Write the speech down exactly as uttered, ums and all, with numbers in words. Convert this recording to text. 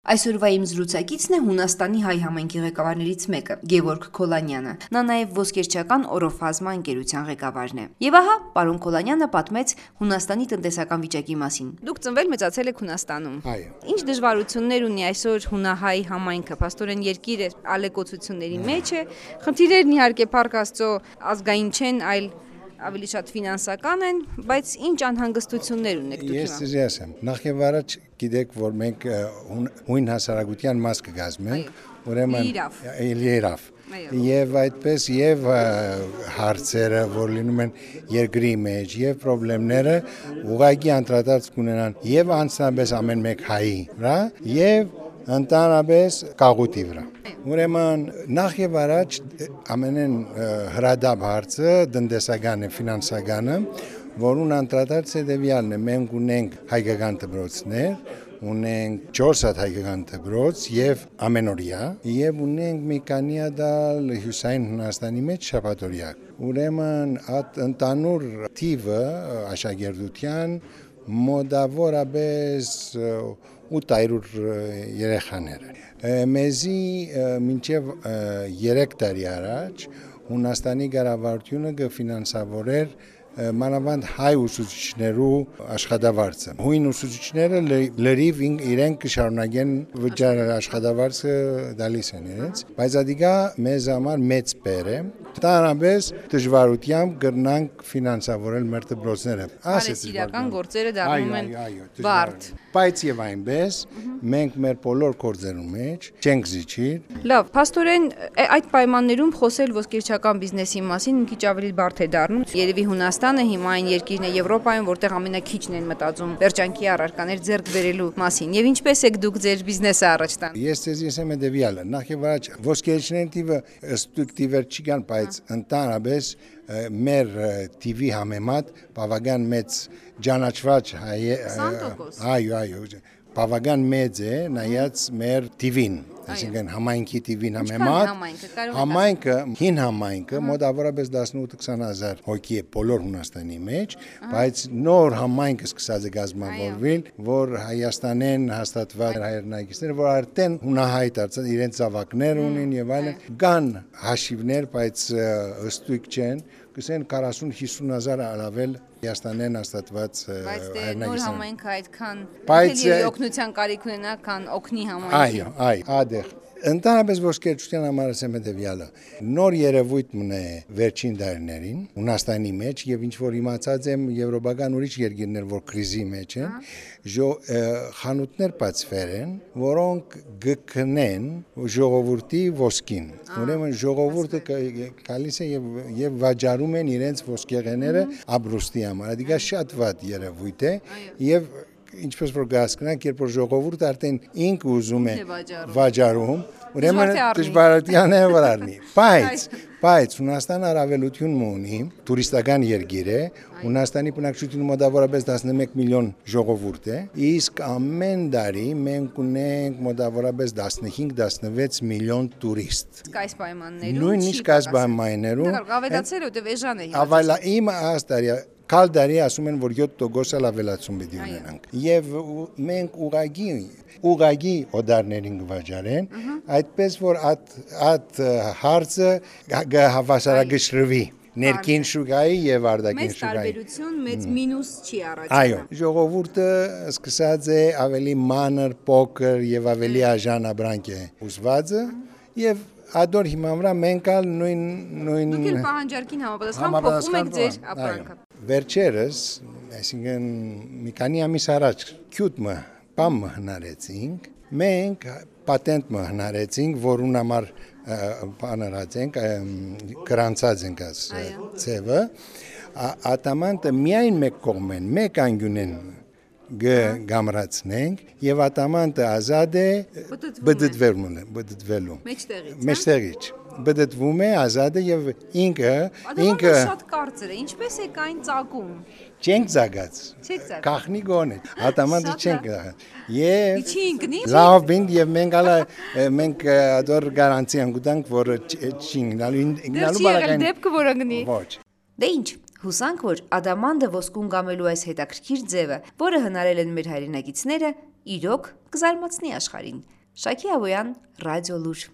Այսօրվա իմ զրուցակիցն է Հունաստանի հայ համայնքի ղեկավարներից մեկը՝ Գևորգ Քոլանյանը։ Նա նաև ոսկերչական օրոֆազմա ընկերության ղեկավարն է։ Եվ ահա, պարոն Քոլանյանը պատմեց Հունաստանի տնտեսական վիճակի մասին։ Դուք ծնվել մեծացել եք Հունաստանում։ Այո։ Ինչ դժվարություններ ունի այսօր հունահայ համայնքը, փաստորեն երկիրը ալեկոծությունների մեջ է։ Խնդիրներն իհարկե Փառք Աստծո ազգային չեն, այլ ավելի շատ ֆինանսական են, բայց ինչ անհանգստություններ ունեք դուք հիմա։ Ես ձեզ ասեմ, նախ եւ առաջ գիտեք, որ մենք հույն հասարակության մաս կգազմենք, ուրեմն իրավ։ Եվ այդպես եւ հարցերը, որ լինում են երկրի մեջ, եւ խնդիրները ուղղակի անդրադարձ կունենան եւ անձնապես ամեն մեկ հայի վրա, եւ ընդհանրապես կաղուտի վրա։ Ուրեմն նախ եւ առաջ ամենեն հրադապ հարցը տնտեսական է, ֆինանսականը, որուն անդրադարձ հետեւյալն է, մենք ունենք հայկական դպրոցներ, ունենք չորս հատ հայկական դպրոց եւ ամենօրյա, եւ ունենք մի քանի հատ հյուսային Հունաստանի մեջ շաբաթօրյա։ Ուրեմն այդ ընդանուր թիվը աշակերտության մոտավորապես ութ հարյուր երեխաներ։ Մեզի մինչև երեք տարի առաջ Հունաստանի կառավարությունը կֆինանսավորեր մանավանդ հայ ուսուցիչներու աշխատավարձը։ Հույն ուսուցիչները լրիվ իրենք կշարունակեն վճարել աշխատավարձը տալիս են իրենց, բայց ադիգա մեզ համար մեծ բեր է։ Տանաբես դժվարությամբ կրնանք ֆինանսավորել մեր դպրոցները։ Արհեստական գործերը դառնում են բարդ։ Բայց եւ այնպես մենք մեր բոլոր գործերում մեջ չենք զիջիր։ Լավ, փաստորեն այդ պայմաններում խոսել ոսկերչական բիզնեսի մասին մի քիչ ավելի բարդ է դառնում։ Երևի Հունաստանը հիմա այն երկիրն է Եվրոպայում, որտեղ ամենակիչն են մտածում վերջանքի առարկաներ ձեռք բերելու մասին։ Եվ ինչպես եք դուք ձեր բիզնեսը առաջ տան։ Ես ձեզ ասեմ հետեւյալը, նախ եւ առաջ ոսկերչների թիվը ըստ տիվեր չի կան, բայց ընդհանրապես մեր տիվի համեմատ բավական մեծ ճանաչված հայ այո այո բավական մեծ է նայած մեր տիվին, այսինքն համայնքի տիվին համեմատ համայնքը հին համայնքը մոտավորապես տասնութ-քսան հազար հոգի է բոլոր Հունաստանի մեջ, բայց նոր համայնքը սկսած է կազմավորվել, որ Հայաստանեն հաստատված հայրենակիցներ, որ արդեն հունահայ դարձած իրենց զավակներ ունեն եւ այլն, կան հաշիվներ, բայց ըստույք չեն, կսեն քսան-հիսուն հազար առավել Հայաստանեն հաստատված հայրենակիցներ։ Բայց նոր համայնքը այդքան օգնության կարիք ունենա, քան օգնի համայնքի։ Այո, այո, ադեղ Ընդհանրապես ոսկերչության համար ասեմ հետեւյալը։ Նոր երևույթ մնե վերջին տարիներին Հունաստանի մեջ եւ ինչ որ իմացած եմ եվրոպական ուրիշ երկիրներ, որ կրիզի մեջ են, խանութներ բացվել են, որոնք գտնեն ժողովրդի ոսկին։ Ուրեմն ժողովուրդը գալիս է եւ եւ վաճառում են իրենց ոսկեղենները ապրուստի համար։ Դա շատ վատ երևույթ է եւ ինչպես որ գասկնանք, երբ որ ժողովուրդը արդեն ինքը ուզում է վաճառում, ուրեմն դժվարության է վրանի։ Բայց, բայց Հունաստանը առավելություն ունի, տուրիստական երկիր է, Հունաստանի բնակչությունը մոտավորապես տասնմեկ միլիոն ժողովուրդ է, իսկ ամեն տարի մենք ունենք մոտավորապես տասնհինգ-տասնվեց միլիոն տուրիստ։ Այս պայմաններում նույնիսկ այս պայմաններում ավելացել ու էժան է։ Ավելա իմ աստարի Կալ դարի ասում են, որ յոթ տոկոս ավելացում պետք է ունենանք։ Եվ մենք ուղագի ուղագի օդարներին կվաճառեն, այդպես որ այդ հարցը հավասարակշռվի ներքին շուկայի եւ արտաքին շուկայի։ Մեծ տարբերություն, մեծ մինուս չի առաջանում։ Այո, ժողովուրդը սկսած է ավելի մանր, փոքր եւ ավելի աժան ապրանք է ուզվածը եւ ադոր հիմա վրա մենք ալ նույն նույն Դուք էլ պահանջարկին համապատասխան փոխում եք ձեր ապրանքը։ Վերջերս, այսինքն մի քանի ամիս առաջ քյութը բամ հնարեցինք, մենք պատենտ հնարեցինք, որուն համար բանարած ենք, գրանցած ենք այս ցևը, ատամանտը միայն մեկ կողմ են, մեկ անգյուն են գամրացնենք եւ ատամանտը ազատ է բդդվելուն է, բդդվելու։ Մեջտեղից։ Մեջտեղից։ Բդդվում է, ազատ է եւ ինքը ինքը շատ կարծր է, ինչպես է կային ծագում։ Չենք ծագած։ Չեք ծագած։ Կախնի գոնե։ Ատամանտը չենք ծագած։ Եվ Չի ինքնի։ լավ բինդ եւ մենք ալա մենք ադոր գարանտի անգուտանք, որ չինգնալու ինգնալու բարակային։ Դեպքը որ անգնի։ Ոչ։ Դե ինչ, հուսանք որ ադամանդը ոսկուն գամելու այս հետաքրքիր ձևը, որը հնարել են մեր հայրենակիցները, իրոք կզարմացնի աշխարհին։ Շակի Ավոյան, Ռադիո Լուր։